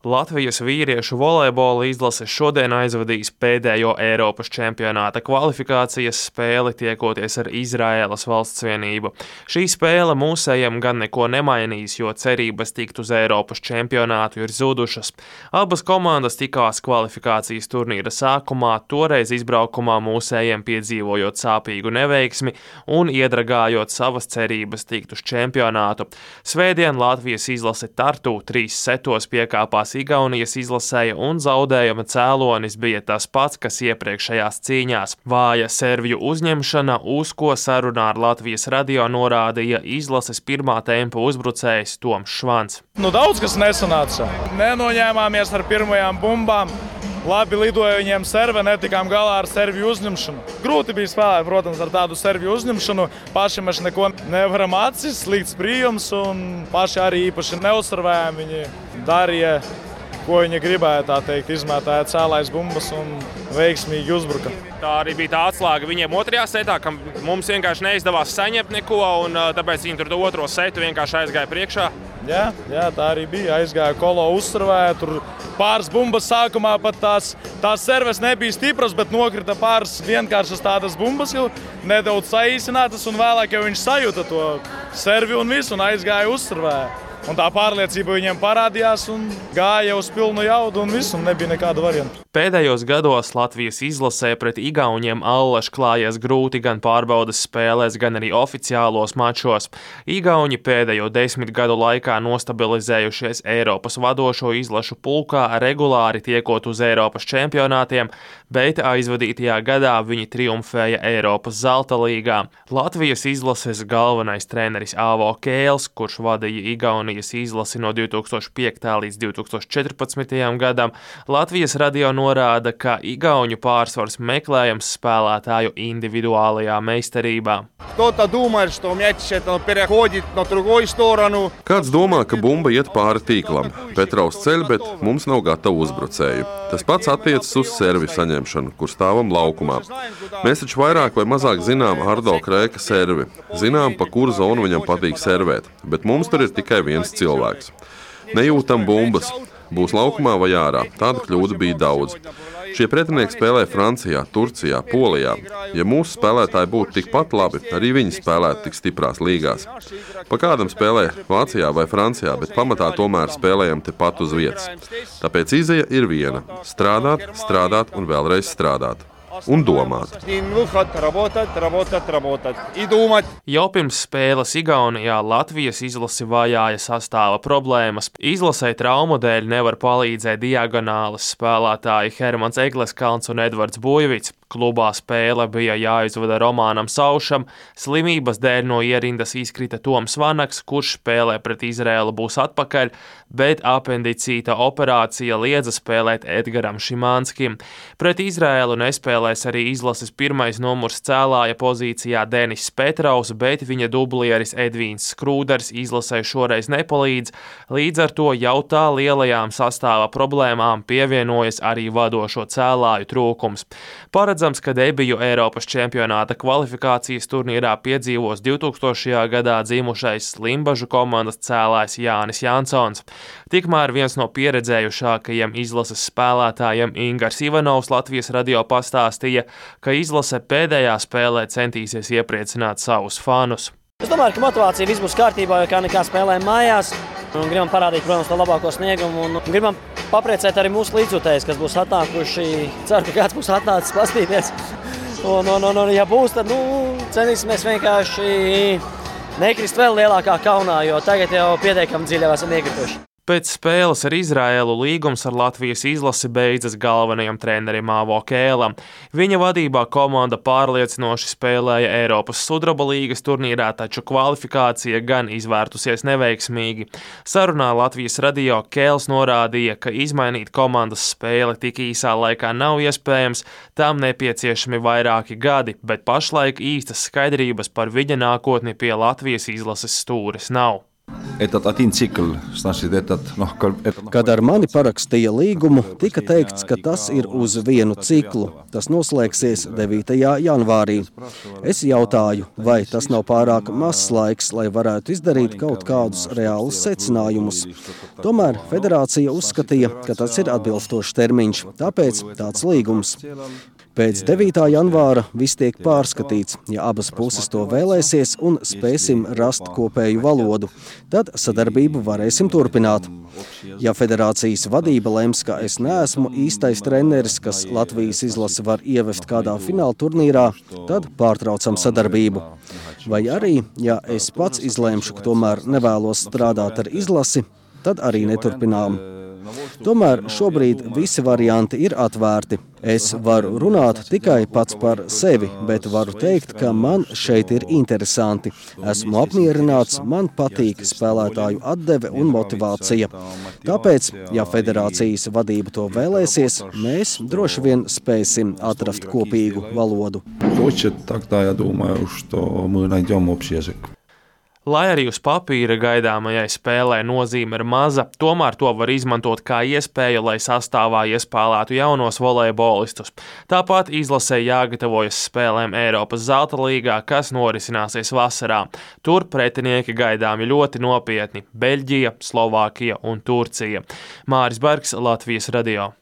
Latvijas vīriešu volejbola izlase šodien aizvadīs pēdējo Eiropas čempionāta kvalifikācijas spēli, tiekoties ar Izraēlas valstsvienību. Šī spēle mūsējiem gan neko nemainīs, jo cerības tikt uz Eiropas čempionātu ir zudušas. Abas komandas tikās kvalifikācijas turnīra sākumā, toreiz izbraukumā mūsējiem piedzīvojot sāpīgu neveiksmi un iedragājot savas cerības tikt uz čempionātu. Svētdien Latvijas izlase Tartu 3 setos piekāpās Igaunijas izlasēja un zaudējuma cēlonis bija tas pats, kas iepriekšējās cīņās. Vāja serviju uzņemšana, uz ko sarunā ar Latvijas radio norādīja izlases pirmā tempa uzbrucējs Toms Švans. Daudz kas nesanāca. Nenoņēmāmies ar pirmajām bumbām. Labi lidoja viņiem serve, netikām galā ar serviju uzņemšanu. Grūti bija spēlēt, protams, ar tādu serviju uzņemšanu. Paši mēs neko nevaram atcist, slikts prijums un paši arī īpaši neuzsarvējām. Viņi darīja, ko viņi gribēja, tā teikt, izmētāja cēlājas bumbas un veiksmīgi uzbruka. Tā arī bija tā atslēga viņiem otrajā setā, ka mums vienkārši neizdevās saņemt neko, un tāpēc viņi tur to otro setu vienkārši aizgāja priekšā. Jā, tā arī bija. Aizgāja kolo, uzsarvēja, tur pāris bumbas sākumā pat tās serves nebija stipras, bet nokrita pāris vienkāršas tādas bumbas, jau nedaudz saīsinātas, un vēlāk jau viņš sajūta to servi un visu, un aizgāja uzsarvēja. Un tā pārliecība viņiem parādījās un gāja uz pilnu jaudu un visu, un nebija nekāda varianta. Pēdējos gados Latvijas izlasē pret Igauniem allaž klājies grūti gan pārbaudes spēlēs, gan arī oficiālos mačos. Igauni pēdējo 10 gadu laikā nostabilizējušies Eiropas vadošo izlašu pulkā, regulāri tiekot uz Eiropas čempionātiem, bet aizvadītajā gadā viņi triumfēja Eiropas zelta līgā. Latvijas izlases galvenais treneris Āvo Kēls, kurš vadīja Igaunijas izlasi no 2005. līdz 2014. gadam, Latvijas radio norāda, ka igauņu pārsvars meklējams spēlētāju individuālajā meistarībā. Kāds domā, ka bumba iet pāri tīklam. Petrovs ceļ, bet mums nav gatavu uzbrucēju. Tas pats attiecas uz serviju saņemšanu, kur stāvam laukumā. Mēs taču vairāk vai mazāk zinām Ardo Krēka servi. Zinām, pa kuru zonu viņam patīk servēt, bet mums tur ir tikai viens cilvēks. Nejūtam bumbas. Būs laukumā vai ārā. Tādu kļūdu bija daudz. Šie pretinieki spēlē Francijā, Turcijā, Polijā. Ja mūsu spēlētāji būtu tikpat labi, arī viņi spēlētu tik stiprās līgās. Pa kādam spēlē Vācijā vai Francijā, bet pamatā tomēr spēlējam tepat uz vietas. Tāpēc izeja ir viena – strādāt un vēlreiz strādāt. Un domāt. Jau pirms spēles Igaunijā Latvijas izlasi vajāja sastāva problēmas. Izlasē traumu dēļ nevar palīdzēt diagonālas spēlētāji Hermans Egleskalns un Edvards Buļvits. Klubā spēle bija jāizvada Romānam Saušam, slimības dēļ no ierindas izkrita Toms Vanaks, kurš spēlē pret Izraēlu būs atpakaļ, bet apendicīta operācija liedza spēlēt Edgaram Šimanskim. Pret Izraēlu nespēlēs arī izlases pirmais numurs cēlāja pozīcijā Denis Petrovs, bet viņa dublieris Edvīns Skrūders izlasē šoreiz nepalīdz, līdz ar to jau tā lielajām sastāva problēmām pievienojas arī vadošo cēlāju trūkums. Paredzams, ka debiju Eiropas čempionāta kvalifikācijas turnīrā piedzīvos 2000. gadā dzimušais Limbažu komandas cēlājs Jānis Jansons. Tikmēr viens no pieredzējušākajiem izlases spēlētājiem Ingars Ivanovs Latvijas radio pastāstīja, ka izlase pēdējā spēlē centīsies iepriecināt savus fanus. Es domāju, ka motivācija viss būs kārtībā, jo kā nekā spēlējam mājās. Un gribam parādīt, protams, to labāko sniegumu un gribam papriecēt arī mūsu līdzjutējus, kas būs atnākuši. Ceru, ka kāds būs atnācis pastīties. Un ja būs, tad centīsimies vienkārši nekrist vēl lielākā kaunā, jo tagad jau pietiekami dziļi esam iekrituši. Pēc spēles ar Izraēlu līgums ar Latvijas izlasi beidzas galvenajam trenerim Āvo Kēlam. Viņa vadībā komanda pārliecinoši spēlēja Eiropas sudraba līgas turnīrā, taču kvalifikācija gan izvērtusies neveiksmīgi. Sarunā Latvijas radio Kēls norādīja, ka izmainīt komandas spēli tik īsā laikā nav iespējams, tām nepieciešami vairāki gadi, bet pašlaik īstas skaidrības par viņa nākotni pie Latvijas izlases stūres nav. Kad ar mani parakstīja līgumu, tika teikts, ka tas ir uz vienu ciklu. Tas noslēgsies 9. janvārī. Es jautāju, vai tas nav pārāk mazs laiks, lai varētu izdarīt kaut kādus reālus secinājumus. Tomēr federācija uzskatīja, ka tas ir atbilstošs termiņš, tāpēc tāds līgums. Pēc 9. janvāra viss tiek pārskatīts, ja abas puses to vēlēsies un spēsim rast kopēju valodu. Tad sadarbību varēsim turpināt. Ja federācijas vadība lems, ka es neesmu īstais treneris, kas Latvijas izlasi var ievest kādā fināla turnīrā, tad pārtraucam sadarbību. Vai arī, ja es pats izlēmšu, ka tomēr nevēlos strādāt ar izlasi, tad arī neturpinām. Tomēr šobrīd visi varianti ir atvērti. Es varu runāt tikai pats par sevi, bet varu teikt, ka man šeit ir interesanti. Esmu apmierināts, man patīk spēlētāju atdeve un motivācija. Tāpēc, ja federācijas vadība to vēlēsies, mēs droši vien spēsim atrast kopīgu valodu. Lai arī uz papīra gaidāmajai spēlē nozīme ir maza, tomēr to var izmantot kā iespēju, lai sastāvā iespēlētu jaunos volejbolistus. Tāpat izlasē jāgatavojas spēlēm Eiropas zelta līgā, kas norisināsies vasarā. Tur pretinieki gaidāmi ļoti nopietni – Beļģija, Slovākija un Turcija. Māris Bergs, Latvijas radio.